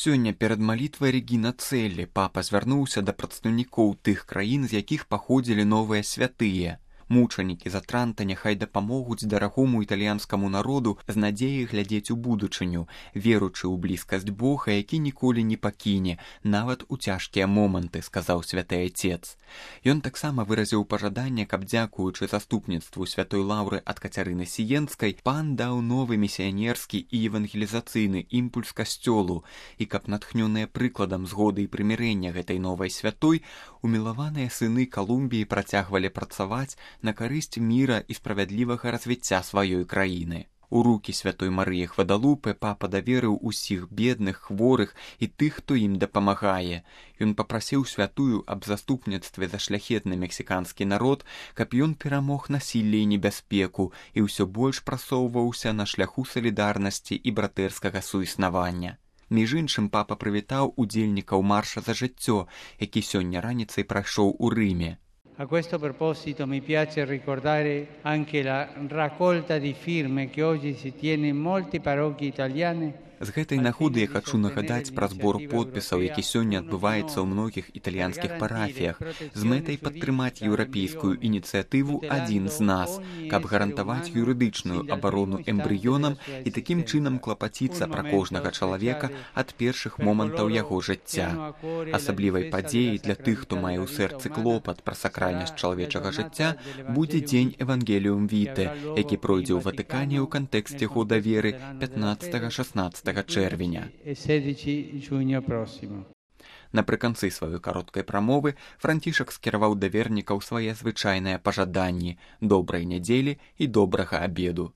Сёння перад малітвай Регіна Цэлі папа звярнуўся да прадстаўнікоў тых краін, з якіх паходзілі новыя святыя. Мучанікі з Атранта няхай дапамогуць дарагому італьянскаму народу з надзеяй глядзець у будучыню, веручы ў блізкасць Бога, які ніколі не пакіне, нават у цяжкія моманты, сказаў святы Айцец. Ён таксама выразіў пажаданне, каб, дзякуючы заступніцтву святой лаўры ад Кацярыны Сіенскай, пан даў новы місіянерскі і евангелізацыйны імпульс касцёлу, і каб, натхнёныя прыкладам згоды і прымірэння гэтай новай святой, умілаваныя сыны Калумбіі працягвалі працаваць на карысць міра і справядлівага развіцця сваёй краіны. У рукі святой Марыі Гвадалупе папа даверыў усіх бедных, хворых і тых, хто ім дапамагае. Ён папрасіў святую аб заступніцтве за шляхетны мексіканскі народ, каб ён перамог насілле і небяспеку і ўсё больш прасоўваўся на шляху салідарнасці і братэрскага суіснавання. Між іншым папа прывітаў удзельнікаў марша за жыццё, які сёння раніцай прайшоў у Рыме. A questo proposito mi piace ricordare anche la raccolta di firme che oggi si tiene in molte parrocchie italiane. З гэтай нагоды я хачу нагадаць пра збор подпісаў, які сёння адбываецца ў многіх італьянскіх парафіях, з мэтай падтрымаць еўрапейскую ініцыятыву «Адзін з нас», каб гарантаваць юрыдычную абарону эмбрыёнам і такім чынам клапаціцца пра кожнага чалавека ад першых момантаў яго жыцця. Асаблівай падзеяй для тых, хто мае ў сэрцы клопат пра сакральнасць чалавечага жыцця, будзе дзень Евангеліум Віте, які пройдзе ў Ватыкане ў кантэксце года веры 15-16 чэрвеня. Напрыканцы сваёй кароткай прамовы Францішак скіраваў да вернікаў свае звычайныя пажаданні добрай нядзелі і добрага абеду.